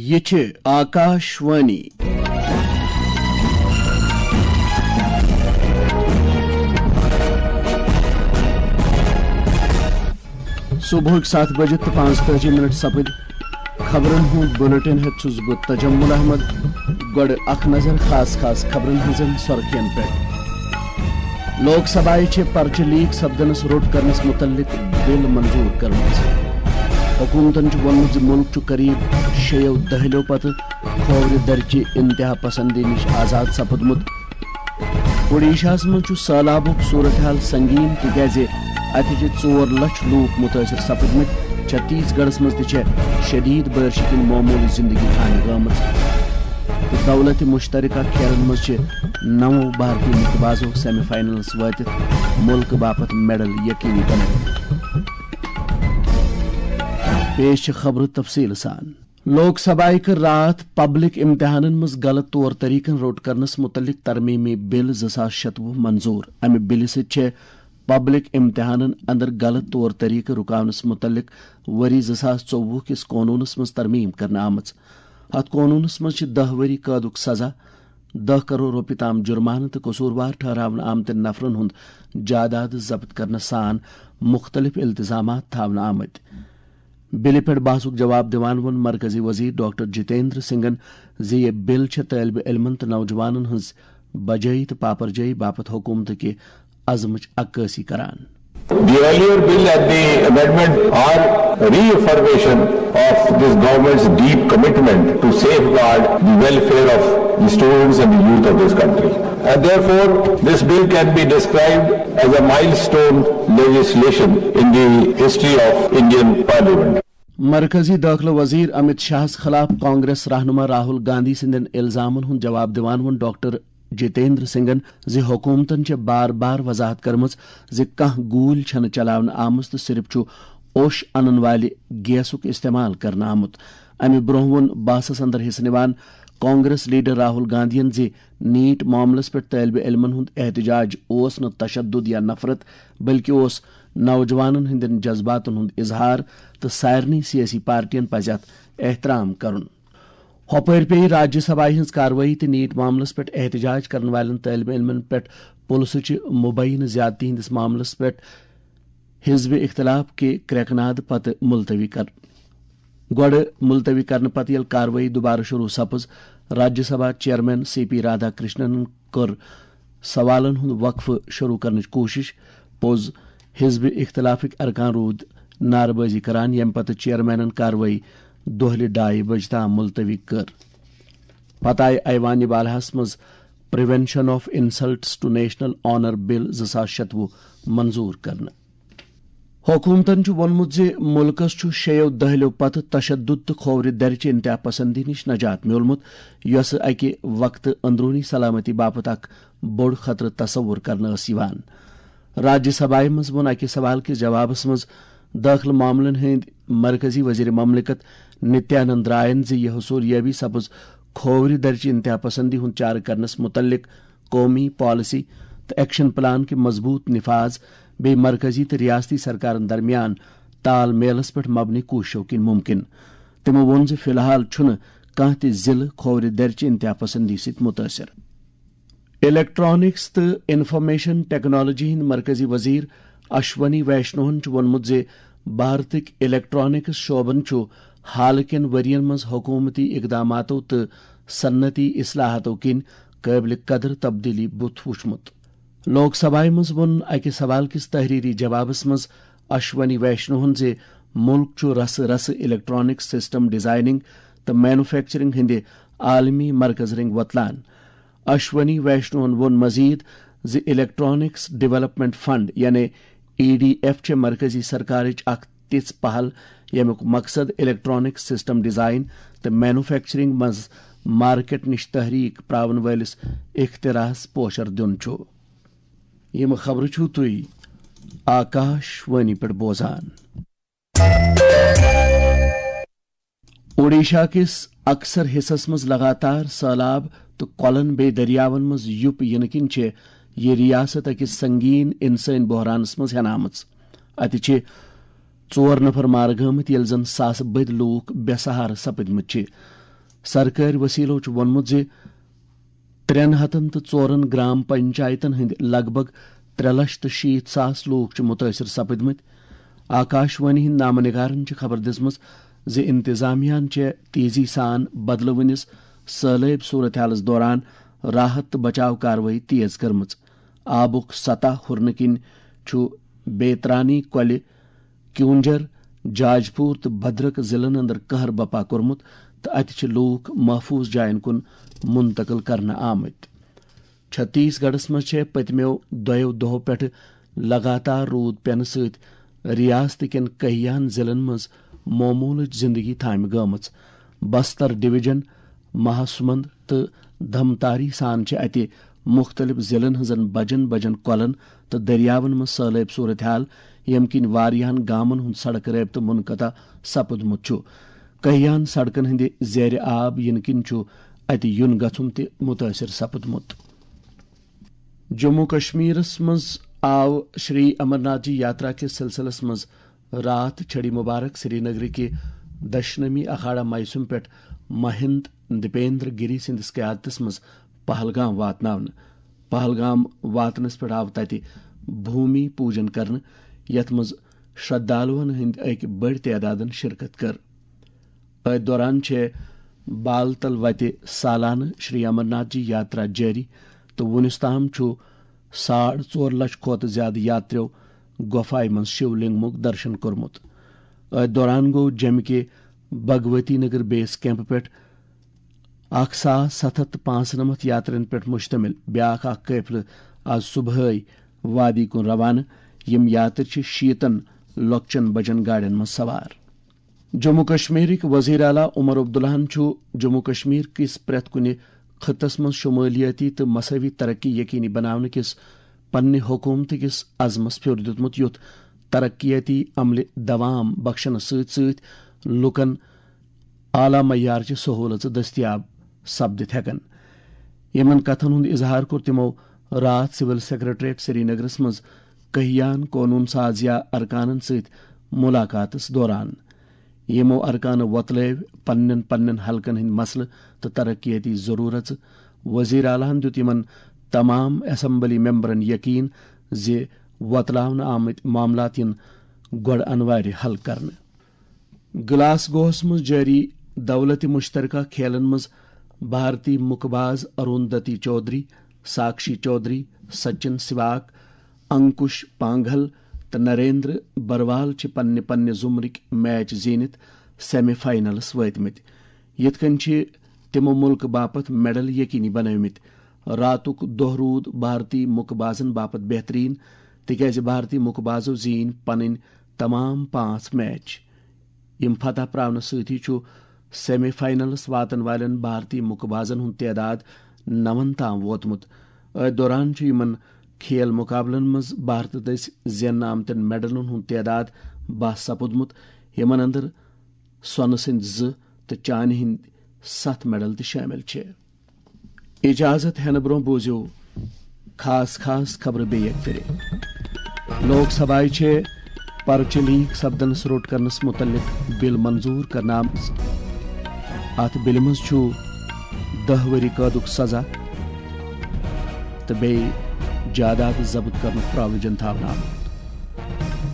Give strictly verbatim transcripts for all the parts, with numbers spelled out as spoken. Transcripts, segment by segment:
یہِ چھِ آکاش وانی۔ صبحٕکۍ ستھ بجہِ تہٕ پانٛژتٲجی منٹ سپٕدۍ۔ خبرن ہُنٛد بلیٹن ہیٚتھ چھُس بہٕ تجمل احمد۔ گۄڈٕ اکھ نظر خاص خاص خبرن ہٕنٛزن سرخین پٮ۪ٹھ۔ لوک سبھایہِ چھِ پرچہٕ لیک سپدنس روٚٹ کرنس متعلق بل منظور کٔرمٕژ۔ حکومتن چھُ ووٚنمُت زِ مُلک چھُ قریب شیٚیو دہلیو پتہٕ کھوورِ درچہِ انتہا پسندی نِش آزاد سپُدمُت۔ اوڈیشاہس منٛز چھُ سٔہلابُک صورتحال سنگین، تِکیازِ اتہِ چھِ ژور لچھ لوٗکھ مُتٲثِر سپٕدمٕتۍ۔ چھتیس گڑھس منٛز تہِ چھےٚ شدید بٲرشہِ کِنۍ معموٗلی زندگی تھاونہٕ گٲمٕژ۔ تہٕ دولت مشترکہ کھیلن منٛز چھِ نَو بھارتی مُکہٕ بازو سیمی فائنلس وٲتِتھ مُلکہٕ باپتھ میڈل یقینی بنٲوِتھ۔ پیش چھِ خبرٕ تفصیٖل سان۔ لوک سبھایہِ کٔر راتھ پبلک امتحانن منٛز غلط طور طریقن روٚٹ کرنس متعلق ترمیمی بل زٕ ساس شتوُہ منظور۔ امہِ بلہِ سۭتۍ چھےٚ پبلک امتحانن اندر غلط طور طریقہٕ رُکاونس متعلق ؤری زٕ ساس ژوٚوُہ کِس قونوٗنس منٛز ترمیم کرنہٕ آمٕژ۔ اتھ قونوٗنس منٛز چھِ دَہ ؤری قٲدُک سزا، دَہ کرور رۄپیہِ تام جُرمانہٕ تہٕ قصوٗروار ٹھہراونہٕ آمتٮ۪ن نفرن ہُنٛد جائیداد ضبط کرنہٕ سان مُختٔلِف التزامات تھاونہٕ آمٕتۍ۔ بلہِ پٮ۪ٹھ بحثُک جواب دِوان ووٚن مرکزی وزیر ڈاکٹر جتیندر سنگھن زِ یہِ بل چھےٚ طٲلبہِ علمن تہٕ نوجوانن ہٕنٛز بجٲیی تہٕ پاپرجٲیی باپتھ حکوٗمتٕکہِ عزمٕچ عکٲسی کران۔ The earlier bill and the amendment are reaffirmation of this government's deep commitment to safeguard the welfare of the students and the youth of this country. And therefore, this bill can be described as a milestone legislation in the history of Indian Parliament. مرکزی دٲخلہٕ وزیر امت شاہس خلاف کانگریس رہنما راہل گاندھی سٕنٛدٮ۪ن الزامن ہُنٛد جواب دِوان ووٚن ڈاکٹر جتیندر سنگھن زِ حکومتن چھےٚ بار بار وضاحت کٔرمٕژ زِ کانٛہہ گوٗلۍ چھَنہٕ چلاونہٕ آمٕژ تہٕ صرف چھُ اوٚش انن والہِ گیسُک استعمال کرنہٕ آمُت۔ امہِ برونٛہہ ووٚن بحثس اندر حصہٕ نِوان کانگریس لیڈر راہل گاندھین زِ نیٹ معاملس پٮ۪ٹھ طٲلبہِ علمن ہُنٛد احتجاج اوس نہٕ تشدد یا نفرت، بلکہِ اوس نوجوانن ہٕنٛدٮ۪ن جذباتن ہُنٛد اظہار تہٕ سارنٕے سیٲسی پارٹین پزِ اتھ احترام کرُن۔ ہۄپٲرۍ پیٚیہِ راجیہ سبھایہِ ہٕنٛز کاروٲیی تہٕ نیٹ معاملس پٮ۪ٹھ احتجاج کرن والٮ۪ن طٲلبہِ علمن پٮ۪ٹھ پُلسہٕ چہِ مبینہٕ زیادتی ہٕنٛدِس معاملس پٮ۪ٹھ حزب اختلاف کہِ کرٛٮ۪کہٕ ناد پتہٕ ملتوی کرنہٕ۔ گۄڈٕ ملتوی کرنہٕ پتہٕ ییٚلہِ کاروٲیی دوبارٕ شروع سپٕز، Rajya Sabha chairman C P Radhakrishnan کٔر سوالن ہُنٛد وقفہٕ شروع کرنٕچ کوٗشش۔ پوٚز، حزب اختلافٕکۍ ارکان روٗدۍ نعرٕ بٲزی کران، ییٚمہِ پتہٕ چیئرمینن کاروٲیی دۄہلہِ ڈایہِ بجہِ تام ملتوی کٔر۔ پتہٕ آیہِ ایوان بالاہس منٛز prevention of insults to national honour bill زٕ ساس شتوُہ منظور کرنہٕ۔ حکومتن چھُ ووٚنمُت زِ مُلکَس چھُ شیٚیو دٔہلِیو پتہٕ تشدد تہٕ کھوورِ درِ چہِ انتہا پسندی نِش نجات میوٗلمُت، یۄسہٕ اَکہِ وقتہٕ اندروٗنی سلامتی باپتھ اکھ بوٚڑ خطرٕ تصور کرنہٕ ٲس یِوان۔ راجیہ سبھایہ منٛز ووٚن اَکہِ سوال کِس جوابس منٛز دٲخلہٕ معاملن ہٕنٛدۍ مرکزی وزیر مملکت نتیانند رائن زِ یہِ حصولیابی سپٕز کھوورِ درِ چہِ انتہا پسندی ہُنٛد چارٕ کرنس مُتعلق قومی پالیسی تہٕ ایکشن پلان کہِ مضبوط نفاذ بیٚیہِ مرکزی تہٕ ریاستی سرکارن درمیان تال میلس پٮ۪ٹھ مبنی کوٗششو کِنۍ مُمکِن۔ تِمو ووٚن زِ فی الحال چھُنہٕ کانٛہہ تہِ ضلعہٕ کھوورِ درِ چہِ انتہا پسندی سۭتۍ مُتٲثِر۔ الیکٹرانکس تہٕ انفارمیشن ٹیکنالوجی ہٕنٛدۍ مرکزی وزیر اشونی ویشنوہن چھُ ووٚنمُت زِ بھارتٕکۍ الیکٹرانکس شعبن چھُ حالہٕ کٮ۪ن ؤرین منٛز حکومتی اقداماتو تہٕ صنعتی اصلاحاتو کِنۍ قٲبلِ قدر تبدیلی بُتھ وُچھمُت۔ لوک سبھایہ منٛز ووٚن اَکہِ سوال کِس تحریری جوابس منٛز اشونی ویشنوہن زِ مُلک چھُ رسہٕ رسہٕ الیکٹرانک سسٹم ڈیزائننگ تہٕ مینوفیکچرنگ ہٕنٛدِ عالمی مرکز رنٛگۍ وۄتلان۔ اشونی ویشنوہن ووٚن مزید زِ الیکٹرانکس ڈیولپمنٹ فنڈ یعنی ای ڈی ایف چھےٚ مرکزی سرکارٕچ اکھ تِژھ پہل ییٚمیُک مقصد الیکٹرانک سسٹم ڈیزائن تہٕ مینوفیکچرنگ منٛز مارکیٹ نِش تحریک پراون وٲلِس اختراعس پوچھر دیُن چھُ۔ یِم خبرٕ چھِو تُہۍ آکاش وانی پٮ۪ٹھ بوزان۔ اوڈیشا کِس اکثر حصس منٛز لگاتار سٔہلاب تہٕ کۄلن بیٚیہِ دٔریاون منٛز یُپ یِنہٕ کِنۍ چھےٚ یہِ ریاست أکِس سنگین انسٲنی بحرانس منٛز ہٮ۪نہٕ آمٕژ۔ اَتہِ چھِ ژور نفر مارٕ گٲمٕتۍ، ییٚلہِ زن ساسہٕ بٔدۍ لوٗکھ بے سہارٕ سپٕدمٕتۍ چھِ۔ سرکٲرۍ وسیلو چھُ ووٚنمُت زِ ترٛٮ۪ن ہتن تہٕ ژورن گرام پنچایتن ہٕنٛدۍ لگ بھگ ترٛےٚ لچھ تہٕ شیٖتھ ساس لوٗکھ چھِ مُتٲثِر سپٕدمٕتۍ۔ آکاشوانی ہٕنٛدۍ نامہ نگارن چھِ خبر دِژمٕژ زِ انتظامیہ ہن چھےٚ تیزی سان بدلوٕنِس سٲلٲبۍ صورتحالس دوران راحت تہٕ بچاو کاروٲیی تیز کٔرمٕژ۔ آبُک سطح ہُرنہٕ کِنۍ چھُ بیترانی، کۄلہِ، کیونجھر، جاجپوٗر تہٕ بھدرک ضلعن اندر قہر بپا کوٚرمُت تہٕ اتہِ چھِ لوٗکھ محفوٗظ جاین کُن منتقل کرنہٕ آمٕتۍ۔ چھتیس گڑھس منٛز چھےٚ پٔتمیو دۄیو دۄہو پٮ۪ٹھٕ لگاتار روٗد پینہٕ سۭتۍ ریاست کٮ۪ن کیہن ضلعن منٛز معموٗلٕچ زندگی تھامہِ گٲمٕژ۔ بستر ڈویژن، مہاسمند تہٕ دھمتاری سان چھِ اتہِ مُختٔلِف ضلعن ہٕنٛزن بجن بجن کۄلن تہٕ دٔریاون منٛز سٲلٲبۍ صورتحال، ییٚمہِ کِنۍ واریاہن گامن ہُنٛد سڑک رٲبطہٕ منقطع سپُدمُت چھُ۔ کیہن سڑکن ہٕنٛدِ زیرِ آب یِنہٕ کِنۍ چھُ اتہِ یُن گژھُن تہِ مُتٲثِر سپُدمُت۔ جموں کشمیرس منٛز آو شری امرناتھ جی یاترا کِس سلسلس منٛز راتھ چھڑی مبارک سری نگرٕ کہِ دشنمی اکھاڑا میسم پٮ۪ٹھ مہند دیپیندر گری سٕنٛدِس قیادتس منٛز پہلگام واتناونہٕ۔ پہلگام واتنس پٮ۪ٹھ آو تتہِ بھومی پوجن کرنہٕ، یتھ منٛز شردالوَن ہٕنٛدۍ أکۍ بٔڑۍ تعدادن شرکت کٔر۔ أتھۍ دوران چھےٚ بال تل وتہِ سالانہٕ شری امرناتھ جی یاترا جٲری تہٕ وُنیُس تام چھُ ساڑ ژور لچھ کھۄتہٕ زیادٕ یاتریو گۄپھایہِ منٛز شیو لنگمُک درشن کوٚرمُت۔ أتھۍ دوران گوٚو جمہِ کہِ بھگوتی نگر بیس کیمپ پٮ۪ٹھ اکھ ساس ستھ ہتھ تہٕ پانٛژنمتھ یاترین پٮ۪ٹھ مشتمل بیاکھ اکھ قٲفلہٕ آز صبحٲے وادی کُن روانہٕ۔ یِم یاترۍ چھِ شیٖتن لۄکچن بجن گاڑٮ۪ن منٛز سوار۔ جموں کشمیرٕکۍ وزیر اعلیٰ عمر عبداللہَن چھُ جموں کشمیر کِس پرٛٮ۪تھ کُنہِ خطس منٛز شمٲلیٲتی تہٕ مساوی ترقی یقینی بناونہٕ کِس پننہِ حکوٗمتہٕ کِس عزمس پھیُر دیُتمُت، یُتھ ترقیاتی عملہِ دوام بخشنس سۭتۍ سۭتۍ لوٗکن اعلیٰ معیارچہِ سہوٗلژٕ دٔستیاب سپدِتھ ہٮ۪کن۔ یِمن کتھن ہُنٛد اظہار کوٚر تِمو راتھ سول سیکرٹریٹ سرینگرس منٛز کہیان قونوٗن سازیہ ارکانن سۭتۍ مُلاقاتس دوران۔ یِمو ارکانو وۄتلٲوۍ پننٮ۪ن پننٮ۪ن حلقن ہٕنٛدۍ مسلہٕ تہٕ ترقیتی ضروٗرژٕ۔ وزیر اعلیٰ ہن دیُت یِمن تمام اسمبلی ممبرن یقین زِ وۄتلاونہٕ آمٕتۍ معاملات یِن گۄڈٕ انوارِ حل کرنہٕ۔ گلاسگوہس منٛز جٲری دولت مشترکہ کھیلن منٛز بھارتی مکہ باز اروندتی چودھری، ساکشی چودھری، سچن سواک، انکش پانگھل تہٕ نریندر بروال چھِ پننہِ پننہِ زمرٕکۍ میچ زیٖنِتھ سیمی فائنلس وٲتمٕتۍ۔ یِتھ کٔنۍ چھِ تِمو مُلکہٕ باپتھ میڈل یقینی بنٲومٕتۍ۔ راتُک دۄہ روٗد بھارتی مُکہٕ بازن باپتھ بہتریٖن، تِکیازِ بھارتی مُکہٕ بازو زیٖنۍ پنٕنۍ تمام پانٛژھ میچ۔ یِم فتح پراونہٕ سۭتی چھُ سیمی فائنلس واتن والٮ۪ن بھارتی مُکہٕ بازن ہُنٛد تعداد نون تام ووتمُت۔ أتھۍ دوران چھُ یِمن کھیل مُقابلن منٛز بھارتہٕ دٔسۍ زیننہٕ آمتٮ۪ن میڈلن ہُنٛد تعداد باہ سپُدمُت، یِمن اندر سۄنہٕ سٕنٛدۍ زٕ تہٕ چانہِ ہٕنٛدۍ ستھ میڈل تہِ شٲمِل چھِ۔ اجازت ہٮ۪نہٕ برٛونٛہہ بوٗزِو خاص خاص خبرٕ بیٚیہِ اَکہِ پھِرِ۔ لوک سبھایہِ چھِ پرچہِ لیک سپدنس روٚٹ کرنس متعلق بل منظور کرنہٕ آمٕژ۔ اتھ بلہِ منٛز چھُ دَہ ؤری قٲدُک سزا تہٕ بیٚیہِ جائیداد ضبط کرنُک پراویجن تھاونہٕ آمُت۔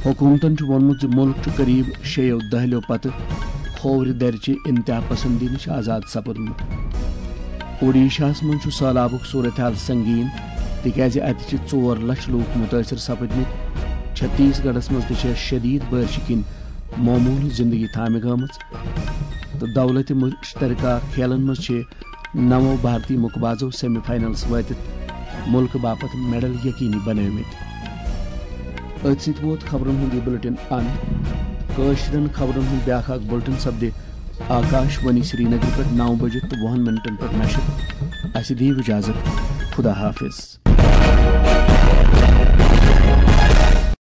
حکومتن چھُ ووٚنمُت زِ مُلک چھُ قریب شیٚیو دہلیو پتہٕ کھوورِ درِ چہِ انتہا پسندی نِش آزاد سپُدمُت۔ اوڈیشاہس منٛز چھُ سٔہلابُک صورتحال سنگین، تِکیازِ اتہِ چھِ ژور لچھ لوٗکھ مُتٲثِر سپٕدمٕتۍ۔ چھتیس گڑھس منٛز تہِ چھےٚ شدید بٲرشہِ کِنۍ معموٗلٕچ زندگی تھامہِ گٲمٕژ۔ تہٕ دولت مشترکہ کھیلن منٛز چھِ نَوو بھارتی مُکہٕ بازو سیمی فائنلس وٲتِتھ مُلکہٕ باپتھ میڈل یقینی بنٲومٕتۍ۔ أتھۍ سۭتۍ ووت خبرن ہُنٛد یہِ بُلٹن اند۔ کٲشرٮ۪ن خبرن ہُنٛد بیٛاکھ اکھ بُلٹن سپدِ آکاش وانی سرینگر پٮ۪ٹھ نَو بجہِ تہٕ وُہن منٹن پٮ۪ٹھ نشر۔ اسہِ دِیِو اجازت۔ خدا حافظ۔